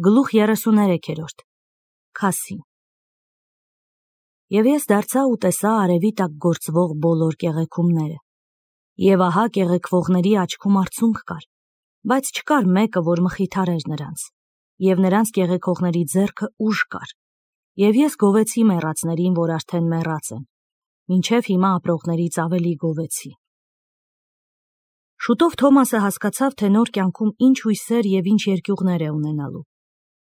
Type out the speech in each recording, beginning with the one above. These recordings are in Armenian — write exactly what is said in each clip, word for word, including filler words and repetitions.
Գլուխ երեսուներեքերորդ Քասին Եվ ես դարձա ու տեսա արևի տակ գործվող բոլոր կեղեքումները, և ահա կեղեքվողների աչքում արցունք կար, բայց չկար մեկը, որ մխիթարեր նրանց, և նրանց կեղեքողների ձեռքը ուժ կար, և ես գովեցի մեռածներին, որ արդեն մեռած են, մինչև հիմա ապրողներից ավելի գովեցի։ Շուտով Թոմասը հասկացավ, թե նոր կյանքում ինչ հույսեր և ինչ երկյուղներ է ունենալու։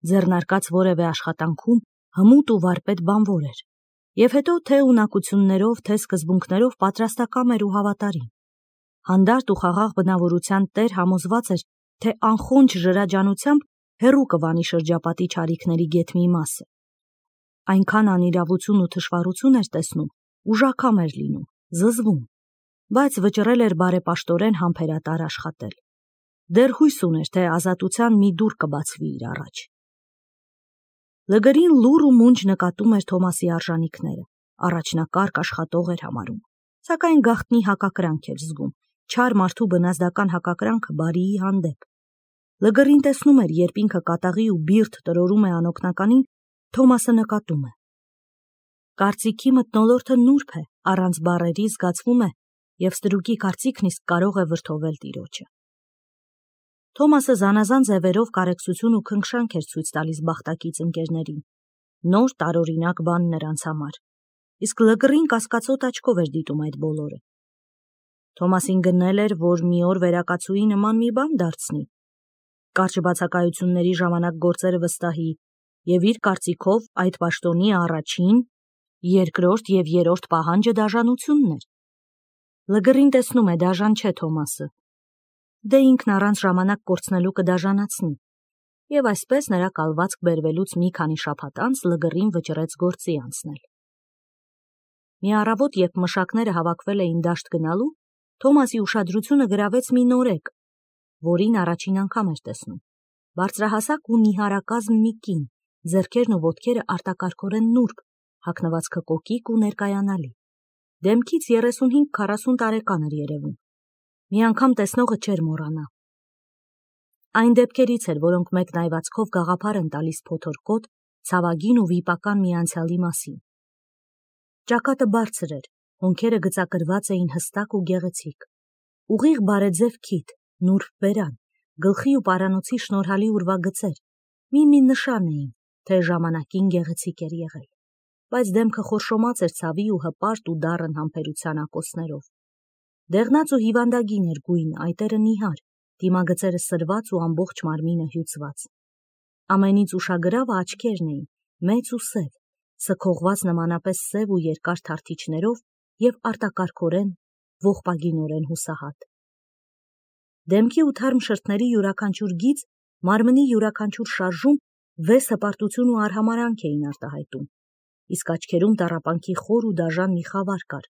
Ձեռնարկած որևէ աշխատանքում հմուտ ու վարպետ բանվոր էր, և հետո թե ունակություններով, թե սկզբունքներով պատրաստակամ էր ու հավատարիմ։ Հանդարտ ու խաղաղ բնավորության տեր համոզված էր, թե անխոնջ ժրաջանությամբ հեռու կվանի շրջապատի չարիքների գեթ մի մասը։ Այնքան անիրավություն ու թշվառություն էր տեսնում, ուժաքամ էր լինում, զզվում, բայց վճռել էր բարեպաշտորեն համբերատար աշխատել։ Դեռ հույս ուներ, թե ազատության մի դուռ կբացվի իր առաջ։ Լգրին լուռ ու մունջ նկատում էր Թոմասի արժանիքները, առաջնակարգ աշխատող էր համարում, սակայն գաղտնի հակակրանք էր զգում, չար մարդու բնազդական հակակրանքը բարիի հանդեպ։ Լգրին տեսնում էր, երբ ինքը կատաղի ու բիրտ տրորում է անօգնականին, Թոմասը նկատում է։ Կարծիքի մթնոլորտը նուրբ է, առանց բառերի զգացվում է, և ստրուկի կարծիքն իսկ կարող է վրդովել տիրոջը։ Թոմասը զանազան ձևերով կարեկցություն ու քնքշանք էր ցույց տալիս բախտակից ընկերներին, նոր տարօրինակ բան նրանց համար, իսկ Լգրին կասկածոտ աչքով էր դիտում այդ բոլորը։ Թոմասին գնել էր, որ մի օր վերակացուի նման մի բան դարձնի, կարճ բացակայությունների ժամանակ գործերը վստահի, և իր կարծիքով այդ պաշտոնի առաջին, երկրորդ և երրորդ պահանջը դաժանությունն էր։ Լգրին տեսնում է, դաժան չէ Թոմասը, դե ինքն առանց ժամանակ կորցնելու կդաժանացնի, և այսպես նրա կալվածք բերվելուց մի քանի շաբաթ անց Լգրին վճռեց գործի անցնել։ Մի առավոտ, երբ մշակները հավաքվել էին դաշտ գնալու, Թոմասի ուշադրությունը գրավեց մի նորեկ, որին առաջին անգամ էր տեսնում։ Բարձրահասակ ու նիհարակազմ մի կին, ձեռքերն ու ոտքերը արտակարգորեն նուրբ, հագնվածքը կոկիկ ու ներկայանալի։ Դեմքից երեսունհինգ քառասուն տարեկան էր երևում։ Մի անգամ տեսնողը չէր մոռանա։ Այն դեպքերից էր, որոնք մեկնայվածքով գաղափար են տալիս փոթորկոտ, ցավագին ու վիպական մի անցյալի մասին։ Ճակատը բարձր էր, հոնքերը գծակրված էին հստակ ու գեղեցիկ։ Ուղիղ բարեձև քիթ, նուրբ բերան, գլխի ու պարանոցի շնորհալի ուրվագծեր, մի-մի նշան էին, թե ժամանակին գեղեցիկ էր եղել, բայց դեմքը խորշոմած էր ցավի ու հպարտ ու դառն համբերության ակոսներով։ Դեղնած ու հիվանդագին էր գույնը, այտերը նիհար, դիմագծերը սրված ու ամբողջ մարմինը հյուծված։ Ամենից ուշագրավը աչքերն էին, մեծ ու սև, սքողված նմանապես սև ու երկար թարթիչներով և արտակարգորեն, ողբագինորեն հուսահատ։ Դեմքի ու թարմ շրթների յուրաքանչյուր գիծ, մարմնի յուրաքանչյուր շարժում վես հպարտություն ու արհամարհանք էին արտահայտում, իսկ աչքերում տառապանքի խոր ու դաժան մի խավար կար,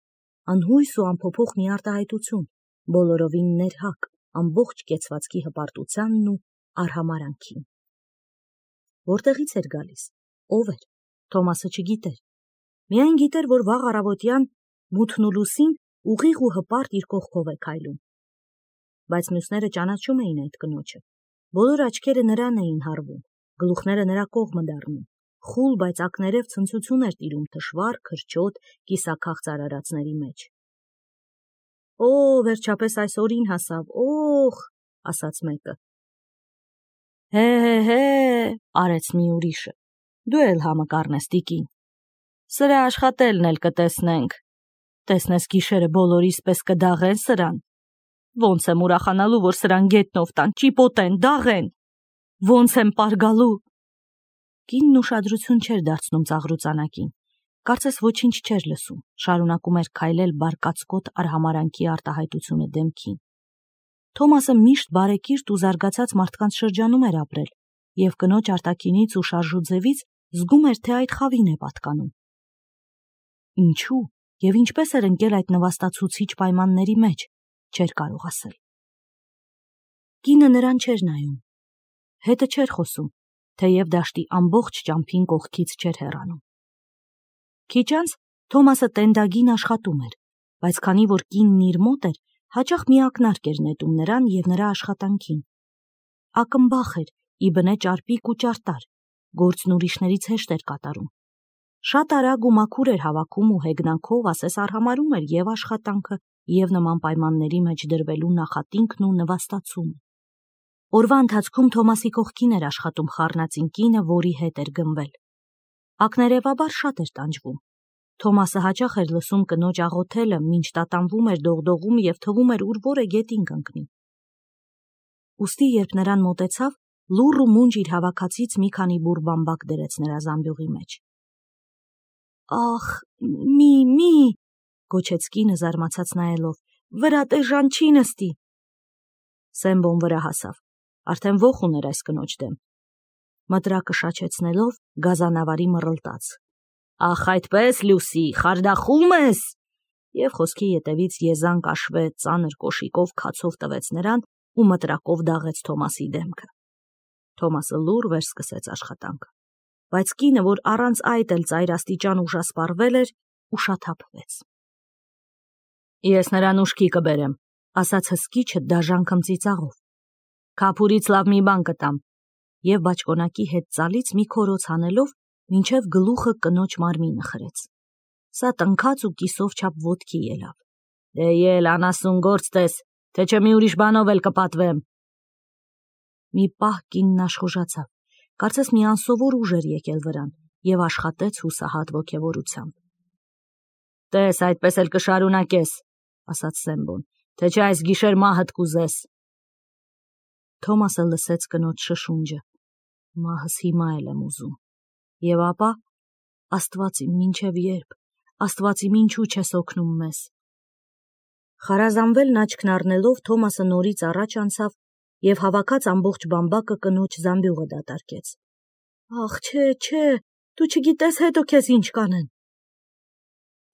անհույս ու անփոփոխ մի արտահայտություն, բոլորովին ներհակ, ամբողջ կեցվածքի հպարտությանն ու արհամարհանքին։ Որտեղից էր գալիս, ով էր, Թոմասը չգիտեր, միայն գիտեր, որ վաղ առավոտյան մութն ու լուսին ուղիղ ու հպարտ իր կողքով է քայլում։ Բայց մյուսները ճանաչում էին այդ կնոջը, բոլոր աչքերը նրան էին հառվում, գլուխները նրա կողմը դառնում, խուլ, բայց ակներև ցնծություն էր տիրում թշվառ, քրչոտ, կիսաքաղց արարածների մեջ։ Օ, վերջապես այս օրին հասավ, օխ, ասաց մեկը։ Հե, հե, հե, արեց մի ուրիշը, դու էլ համը կառնես տիկին։ Սրա աշխատելն էլ կտեսնենք, տեսնես գիշերը բոլորիս պես կդաղեն սրան։ Ոնց եմ ուրախանալու, որ սրան գետնով տան, ճիպոտեն, դաղեն, ոնց եմ պարգալու։ Կինն ուշադրություն չէր դարձնում ծաղրուծանակին, կարծես ոչինչ չէր լսում, շարունակում էր քայլել բարկացկոտ արհամարանքի արտահայտությունը դեմքին։ Թոմասը միշտ բարեկիրթ ու զարգացած մարդկանց շրջանում էր ապրել, և կնոջ արտաքինից ու շարժուձևից զգում էր, թե այդ խավին է պատկանում։ Ինչու և ինչպես էր ընկել այդ նվաստացուցիչ պայմանների մեջ, չէր կարող ասել։ Կինը նրան չէր նայում, հետը չէր խոսում, թեև դաշտի ամբողջ ճամփին կողքից չէր հեռանում։ Քիչ անց Թոմասը տենդագին աշխատում էր, բայց քանի որ կինն իր մոտ էր, հաճախ մի ակնարկ էր նետում նրան և նրա աշխատանքին։ Ակնբախ էր, ի բնե ճարպիկ ու ճարտար, գործն ուրիշներից հեշտ էր կատարում։ Շատ արագ ու մաքուր էր հավաքում ու հեգնանքով ասես արհամարում էր և աշխատանքը, և նման պայմանների մեջ դրվելու նախատինքն ու նվաստացումը։ Օրվա ընթացքում Թոմասի կողքին էր աշխատում խառնածին կինը, որի հետ էր գնվել։ Ակներևաբար շատ էր տանջվում։ Թոմասը հաճախ էր լսում կնոջ աղոթելը, մինչ տատանվում էր դողդողում և թվում էր ուր որը գետին կընկնի։ Ուստի երբ նրան մոտեցավ, լուռ ու մունջ իր հավաքածից մի քանի բուռ բամբակ դրեց նրա զամբյուղի մեջ։ «Ախ, մի, մի», գոչեց կինը զարմացած նայելով, «վրա տեժան չի նստի»։ Սեմբոն վրա հասավ, արդեն ոխ ուներ այս կնոջ դեմ։ Մտրակը շաչեցնելով գազանավարի մռլտաց. «Ախ, այդպես, Լուսի, խարդախում ես»։ Եվ խոսքի ետևից եզան կաշվե ծանր կոշիկով քացով տվեց նրան ու մտրակով դաղեց Թոմասի դեմքը։ Թոմասը լուռ վերսկսեց աշխատանքը, բայց կինը, որ առանց այդ էլ ծայրաստիճան ուժասպառվել էր, ուշաթափվեց։ «Ես նրան ուշքի կբերեմ», ասաց հսկիչը դաժան քմծիծաղով։ «Քափուրից լավ մի բան կտամ», և բաճկոնակի հետ ծալից մի քորոց հանելով մինչև գլուխը կնոջ մարմինը խրեց։ Սա տնքաց ու կիսով չափ ոտքի ելավ։ «Դե ել, անասուն գործ տես, թե չէ մի ուրիշ բանով էլ կպատվեմ»։ Մի պահ կինն աշխուժացավ, կարծես մի անսովոր ուժ էր եկել վրան, և աշխատեց հուսահատ ոգևորությամբ։ «Տես, այդպես էլ կշարունակես», ասաց Սեմբոն, «թե չէ այս գիշեր մահդ կուզես»։ Թոմասը լսեց կնոջ շշունջը. «Մահս հիմա էլ եմ ուզում»։ Եվ ապա, «Աստված իմ, մինչև ե՞րբ, Աստված իմ, ինչու չես օգնում մեզ»։ Խարազանվելն աչքն առնելով Թոմասը նորից առաջ անցավ և հավաքած ամբողջ բամբակը կնոջ զամբյուղը դատարկեց։ «Ախ, չէ, չէ, դու չգիտես հետո քեզ ինչ կանեն»։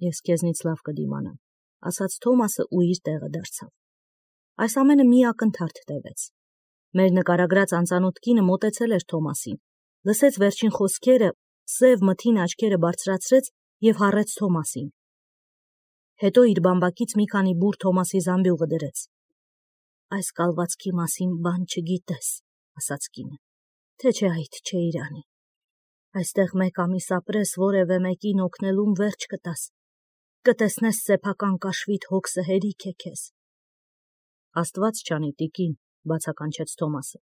«Ես քեզնից լավ կդիմանամ», ասաց Թոմասը ու իր տեղը դարձավ։ Այս ամենը մի ակնթարթ տևեց։ Մեր նկարագրած անծանոթ կինը մոտեցել էր Թոմասին, լսեց վերջին խոսքերը, սև մթին աչքերը բարձրացրեց և հառեց Թոմասին։ Հետո իր բամբակից մի քանի բուռ Թոմասի զամբյուղը դրեց։ «Այս կալվածքի մասին բան չգիտես», ասաց կինը, «թե չէ այդ չէ իրանի։ Այստեղ մեկ ամիս ապրես, որևէ մեկին օգնելուն վերջ կտաս, կտեսնես սեփական կաշվիդ հոգսը հերիք է քեզ»։ «Աստված չանի, տիկին», բացականչեց Թոմասը,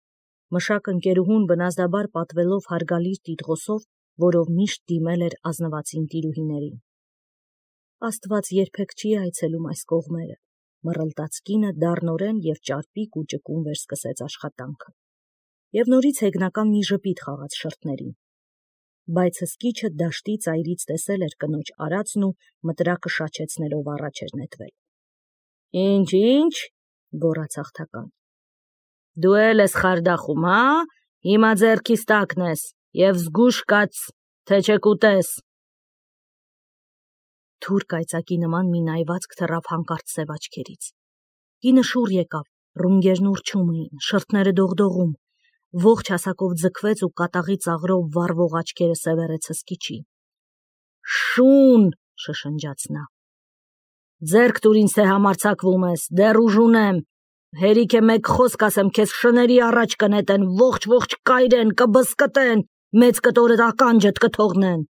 մշակ ընկերուհուն բնազդաբար պատվելով հարգալից տիտղոսով, որով միշտ դիմել էր ազնվացին տիրուհիներին։ «Աստված երբեք չի այցելում այս կողմերը», մռլտաց կինը դառնորեն և ճարպիկ ու ճկուն վերսկսեց աշխատանքը։ Եվ նորից հեգնական մի ժպիտ խաղաց շրթներին։ Բայց հսկիչը դաշտի ծայրից տեսել էր կնոջ արածն ու մտրակը շաչեցնելով առաջ էր նետվել։ «Ինչ, ինչ», գոռաց հաղթական, «դու էլ ես խարդախում, հա՞, հիմա ձեռքիս տակն ես, և զգույշ կաց, թե չէ կուտես»։ Թուր կայծակի նման մի նայվածք թռավ հանկարծ սև աչքերից։ Կինը շուռ եկավ, ռունգերն ուռչում էին, շրթները դողդողում, ողջ հասակով ձգվեց ու կատաղի ծաղրով վառվող աչքերը սևեռեց հսկիչին։ «Շուն», շշնջաց նա, «ձեռք տուր ինձ, թե համարձակվում ես, դեռ ուժ ունեմ, հերիք է մեկ խոսք ասեմ, քեզ շների առաջ կնետեն, ողջ-ողջ կայրեն, կբզկտեն, մեծ կտորդ ականջդ կթողնեն»։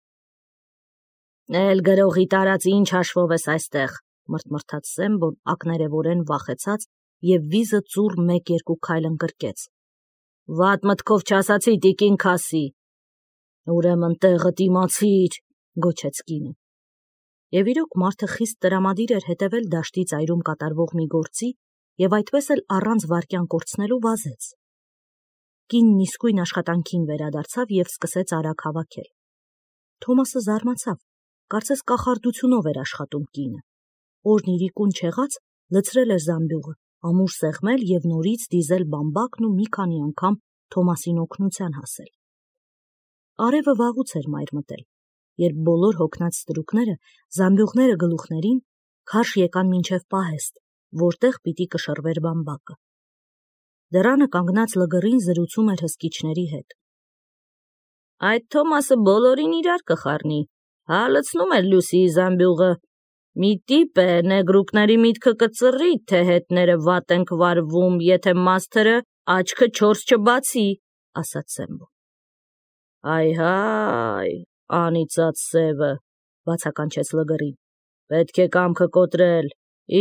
«Էլ գրողի տարած ինչ հաշվով ես այստեղ», մրթմրթաց Սեմբոն ակներևորեն վախեցած և վիզը ծուռ մեկ-երկու քայլ ընկրկեց։ «Վատ մտքով չասացի, տիկին Քասի»։ «Ուրեմն տեղդ իմացիր», գոչեց կինը։ Եվ իրոք մարդը խիստ տրամադիր էր հետևել դաշտի ծայրում կատարվող մի գործի և այդպես էլ առանց վայրկյան կորցնելու վազեց։ Կինն իսկույն աշխատանքին վերադարձավ և սկսեց արագ հավաքել։ Թոմասը զարմացավ, կարծես կախարդությունով էր աշխատում կինը։ Օրն իրիկուն չեղած լցրել էր զամբյուղը, ամուր սեղմել և նորից դիզել բամբակն ու մի քանի անգամ Թոմասին օգնության հասել։ Արևը վաղուց էր մայր մտել, երբ բոլոր հոգնած ստրուկները, զամբյուղները գլուխներին, քարշ եկան մինչև պահեստ, որտեղ պիտի կշռվեր բամբակը։ Դռանը կանգնած լգռին զրուցում էր հսկիչների հետ։ «Այդ Թոմասը բոլորին իրար կխառնի, հա լցնում էր Լուսիի զամբյուղը։ Մի տիպ է, նեգրուկների միտքը կծռի, թե հետները վատ ենք վարվում, եթե մաստերը աչքը չորս չբացի, ասաց Սեմբոն։ Այ-հայ, անիծած սևը, բացականչեց Լգռին։ Պետք է կամքը կոտրել,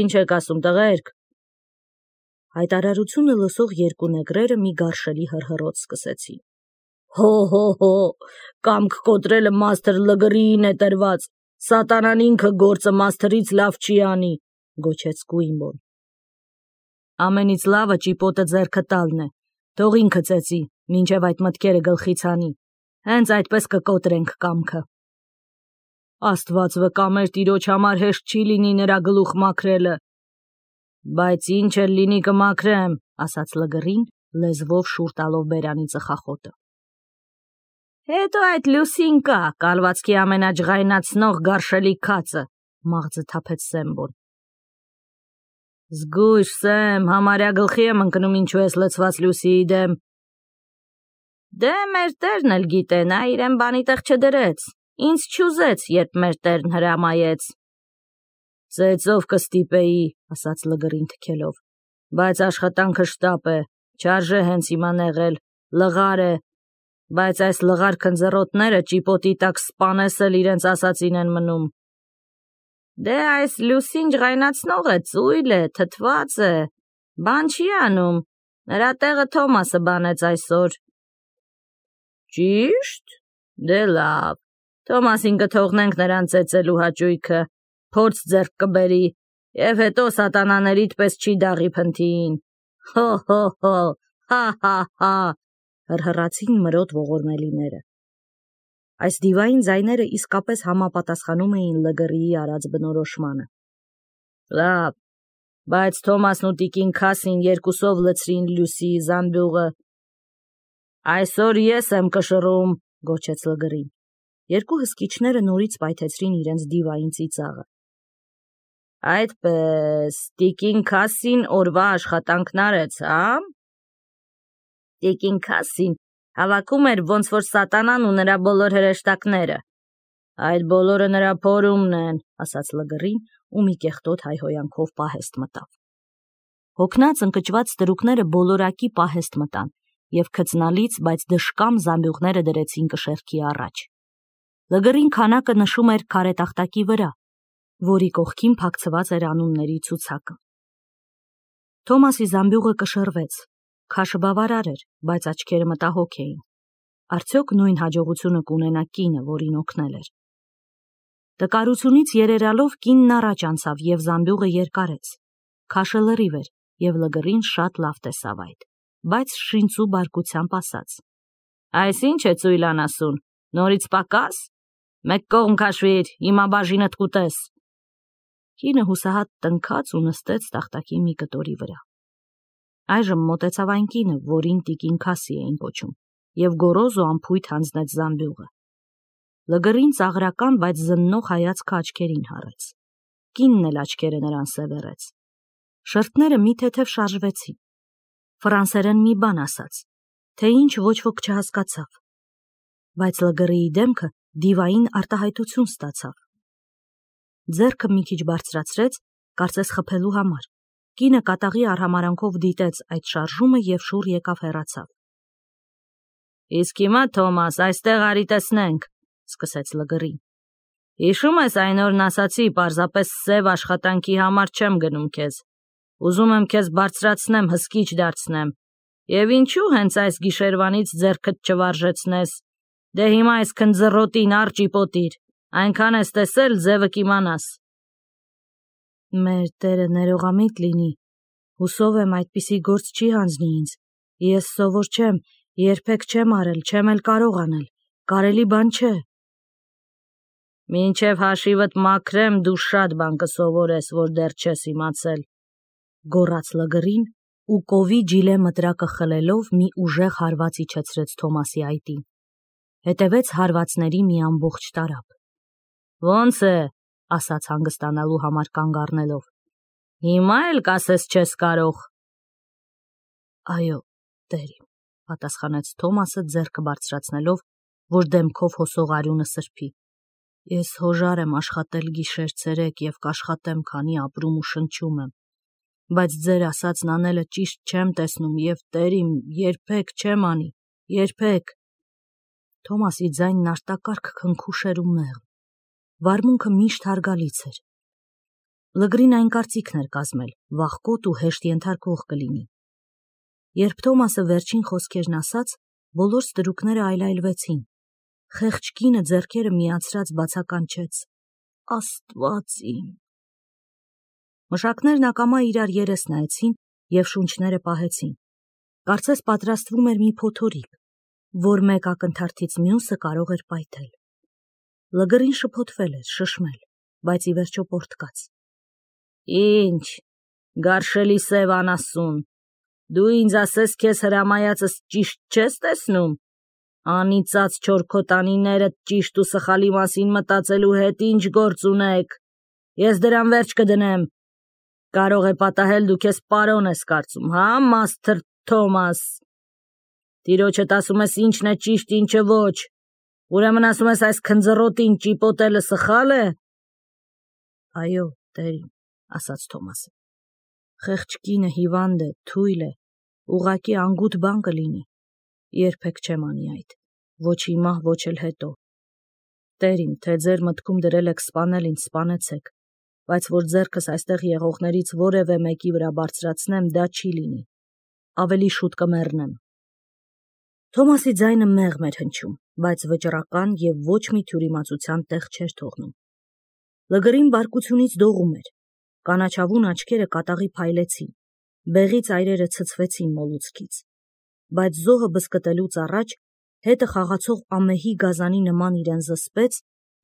ինչ եք ասում տղերք։ Հայտարարությունը լսող երկու նեգրերը մի գարշելի հռհռոց սկսեցին։ Հո-հո-հո, կամք կոտրելը մաստր Լգռիին է տրված, սատանան ինքը գործը մաստրից լավ չի անի, գոչեց Գուիմբոն։ Ամենից լավը ճիպոտը ձեռքը տալն է, թող ինքը ծեծի, մինչև այդ մտքերը գլխից հանի, հենց այդպես կկոտրենք կամքը։ Աստված վկա, մեր տիրոջ համար հեշտ չի լինի նրա գլուխ մաքրելը։ Բայց ինչ էլ լինի կմաքրեմ, ասաց Լգռին, լեզվով շուռ տալով բերանի ծխախոտը։ Հետո այդ Լուսին կա, կալվածքի ամենաջղայնացնող գարշելի քացը, մաղձը թափեց Սեմբոն։ Զգույշ Սեմ, համարյա գլխի եմ ընկնում ինչու ես լցված Լուսիի դեմ։ Դե մեր տերն էլ գիտե, նա իրեն բանի տեղ չդրեց, ինձ չուզեց, երբ մեր տերն հրամայեց։ Ծեծով կստիպեի, ասաց Լգռին թքելով, բայց աշխատանքը շտապ է, չարժե հենց հիմա նեղել, լղար է, բայց այս լղար քնձռոտները ճիպոտի տակ սպանեսել իրենց ասածին են մնում։ Դե այս Լուսին ջղայնացնող է, ծույլ է, թթված է, բան չի անում, նրա տեղը Թոմասը բանեց այսօր։ Ճիշտ, դե լավ, Թոմասին կթողնենք նրան ծեծելու հաճույքը, փորձ ձեռք կբերի, և հետո սատանաներիդ պես չի դաղի փնթիին։ Հո-հո-հո, հա-հա-հա, հռհռացին մրոտ ողորմելիները։ Այս դիվային ձայները իսկապես համապատասխանում էին Լգռիի արած բնորոշմանը։ Լավ, բայց Թոմասն ու տիկին Քասին երկուսով լցրին Լուսիի զամբյուղը։ Այսօր ես եմ կշռում, գոչեց Լգռին։ Երկու հսկիչները նորից պայթեցրին իրենց դիվային ծիծաղը։ Այդպես, տիկին Քասին օրվա աշխատանքն արեց, հա՞։ Տիկին Քասին հավաքում էր ոնց որ սատանան ու նրա բոլոր հրեշտակները։ Այդ բոլորը նրա փորումն են, ասաց Լգռին ու մի կեղտոտ հայհոյանքով պահեստ մտավ։ Հոգնած ընկճված ստրուկները բոլորակի պահեստ մտան և քծնալից, բայց դժկամ զամբյուղները դրեցին կշեռքի առաջ։ Լգռին քանակը նշում էր քարե տախտակի վրա, որի կողքին փակցված էր անունների ցուցակը։ Թոմասի զամբյուղը կշռվեց, քաշը բավարար էր, բայց աչքերը մտահոգ էին։ Արդյոք նույն հաջողությունը կունենա կինը, որին օգնել էր։ Տկարությունից երերալով կինն առաջ անցավ և զամբյուղը երկարեց։ Քաշը լրիվ էր և Լգռին շատ լավ տեսավ այդ, բայց շինծու բարկությամբ ասաց. Այս ինչ է ծույլան ասուն, նորից պակաս։ Մեկ կողմ քաշվիր, հիմա բաժինդ կուտես։ Կինը հուսահատ տնքաց ու նստեց տախտակի մի կտորի վրա։ Այժմ մոտեցավ այն կինը, որին տիկին Քասի էին կոչում, և գոռոզ ու անփույթ հանձնեց զամբյուղը։ Լգռին ծաղրական, բայց զննող հայացքը աչքերին հառեց։ Կինն էլ աչքերը նրան սևեռեց։ Շրթները մի թեթև շարժվեցին։ Ֆրանսերեն մի բան ասաց, թե ինչ ոչ ոք չհասկացավ։ Բայց Լգռիի դեմքը դիվային արտահայտություն ստացավ։ Ձեռքը մի քիչ բարձրացրեց, կարծես խփելու համար։ Կինը կատաղի արհամարանքով դիտեց այդ շարժումը և շուռ եկավ հեռացավ։ Իսկ հիմա, Թոմաս, այստեղ արի տեսնենք, սկսեց Լգռին։ Հիշում ես այն օրն ասացի, պարզապես սև աշխատանքի համար չեմ գնում քեզ։ Ուզում եմ քեզ բարձրացնեմ, հսկիչ դարձնեմ։ Եվ ինչու հենց այս գիշերվանից ձեռքդ չվարժեցնես։ Դե հիմա այս քնձռոտին առ ճիպոտիր, այնքան ես տեսել, ձևը կիմանաս։ Մեր Տերը ներողամիտ լինի, հուսով եմ այդպիսի գործ չի հանձնի ինձ, ես սովոր չեմ, երբեք չեմ արել, չեմ էլ կարող անել, կարելի բան չէ։ Մինչև հաշիվդ մաքրեմ, դու շատ բան կսովորես, որ դեռ չես իմացել, գոռաց Լգռին ու կովի ջիլե մտրակը խլելով մի ուժեղ հարված իջեցրեց Թոմասի այտին։ Հետևեց հարվածների մի ամբողջ տարափ։ Ոնց է, ասաց հանգստանալու համար կանգ առնելով։ Հիմա էլ կասես չես կարող։ Այո, տեր իմ, պատասխանեց Թոմասը ձեռքը բարձրացնելով, որ դեմքով հոսող արյունը սրբի։ Ես հոժար եմ աշխատել գիշեր ցերեկ և կաշխատեմ, քանի ապրում ու շնչում եմ, բայց ձեր ասածն անելը ճիշտ չեմ տեսնում և տեր իմ երբեք չեմ անի, Երբեք։ Թոմասի ձայնն արտակարգ քնքուշ էր ու մեղմ։ Վարմունքը միշտ հարգալից էր։ Լգրին այն կարծիքն էր կազմել, վախկոտ ու հեշտ ենթարկվող կլինի։ Երբ Թոմասը վերջին խոսքերն ասաց, բոլոր ստրուկները այլայլվեցին։ Խեղճ կինը ձեռքերը միացրած բացականչեց. Աստված իմ։ Մշակներն ակամա իրար երես նայեցին և շունչները պահեցին։ Կարծես պատրաստվում էր մի փոթորիկ, որ մեկ ակնթարթից մյուսը կարող էր պայթել։ Լգրին շփոթվել էր, շշմել, բայց ի վերջո պոռթկաց։ Ինչ, գարշելի սև անասուն, դու ինձ ասես քեզ հրամայածս ճիշտ չես տեսնում։ Անիծած չորքոտանիներդ ճիշտ ու սխալի մասին մտածելու հետ ինչ գործ ունեք։ Ես դրան վերջ կդնեմ։ Կարող է պատահել դու քեզ պարոն ես կարծում, հա, Մաստր Թոմաս։ Տիրոջդ ասում ես ինչն է ճիշտ, ինչը ոչ։ Ուրեմն ասում ես այս քնձռոտին ճիպոտելը սխալ է։ Այո, տերին, ասաց Թոմասը։ Խեղճ կինը հիվանդ է, թույլ է, ուղղակի անգութ բան կլինի։ Երբեք չեմ անի այդ, ոչ հիմա, ոչ էլ հետո։ Տերին, թե ձեր մտքում դրել եք սպանել ինձ, սպանեցեք, բայց որ ձեռքս այստեղ եղողներից որևէ մեկի վրա բարձրացնեմ, դա չի լինի։ Ավելի շուտ կմեռնեմ։ Թոմասի ձայնը մեղմ էր հնչում, բայց վճռական և ոչ մի թյուրիմացության տեղ չէր թողնում։ Լգրին բարկությունից դողում էր։ Կանաչավուն աչքերը կատաղի փայլեցին, բեղի ծայրերը ցցվեցին մոլուցքից։ Բայց զոհը բզկտելուց առաջ հետը խաղացող ամեհի գազանի նման իրեն զսպեց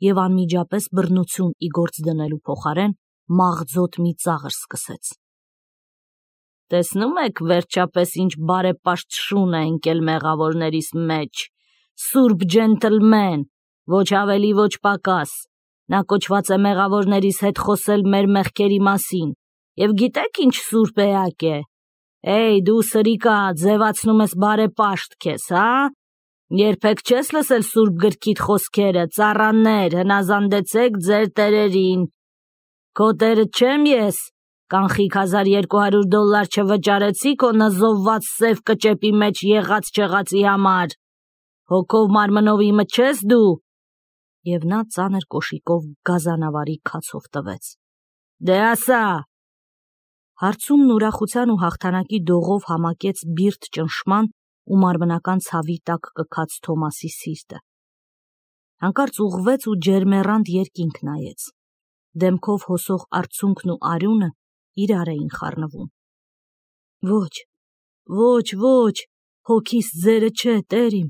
և անմիջապես բռնություն ի գործ դնելու փոխարեն մաղձոտ մի ծաղր սկսեց։ Տեսնում եք վերջապես ինչ բարեպաշտ շուն է ընկել մեղավորներիս մեջ, սուրբ ջենտլմեն, ոչ ավելի ոչ պակաս։ Նա կոչված է մեղավորներիս հետ խոսել մեր մեղքերի մասին, և գիտեք ինչ սուրբ էակ է։ Էй, դու սրիկա, ձևացնում ես բարեպաշտ քեզ, հա։ Երբեք չես լսել սուրբ գրքիդ խոսքերը, ծառաներ, հնազանդեցեք ձեր տերերին։ Քո տերը չեմ ես, կանխիկ հազար երկու հարյուր դոլլար չվճարեցի քո նզովված սև կճեպի մեջ եղած չեղածի համար։ Հոգով մարմնով իմը չես դու։ Եվ նա ծանր կոշիկով գազանավարի քացով տվեց։ Դե ասա։ Հարցումն ուրախության ու հաղթանակի դողով համակեց բիրտ ճնշման ու մարմնական ցավի տակ կքած Թոմասի սիրտը։ Հանկարծ ուղղվեց ու ջերմեռանդ երկինք նայեց։ Դեմքով հոսող արցունքն ու արյունը իրար էին խառնվում։ Ոչ, ոչ, ոչ, հոգիս ձերը չէ, տերիմ,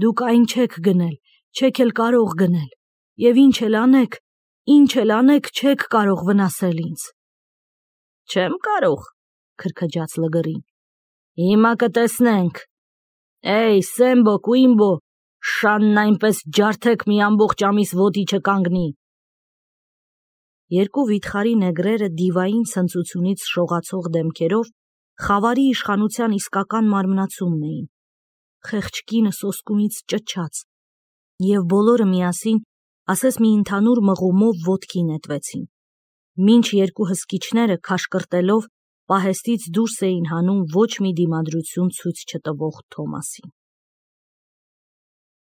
դուք այն չեք գնել, չեք էլ կարող գնել, և ինչ էլ անեք, ինչ էլ անեք, չեք կարող վնասել ինձ։ Չեմ կարող, քրքջաց Լգրին։ Հիմա կտեսնենք։ Էй, Սեմբո, Կուիմբո, շանն այնպես ջարդեք մի ամբողջ ամիս ոտի չկանգնի։ Երկու վիթխարի նեգրերը դիվային ցնծությունից շողացող դեմքերով խավարի իշխանության իսկական մարմնացումն էին։ Խեղճ կինը սոսկումից ճչաց, և բոլորը միասին, ասես մի ընդհանուր մղումով ոտքի նետվեցին, մինչ երկու հսկիչները քաշկրտելով պահեստից դուրս էին հանում ոչ մի դիմադրություն ցույց չտվող Թոմասին։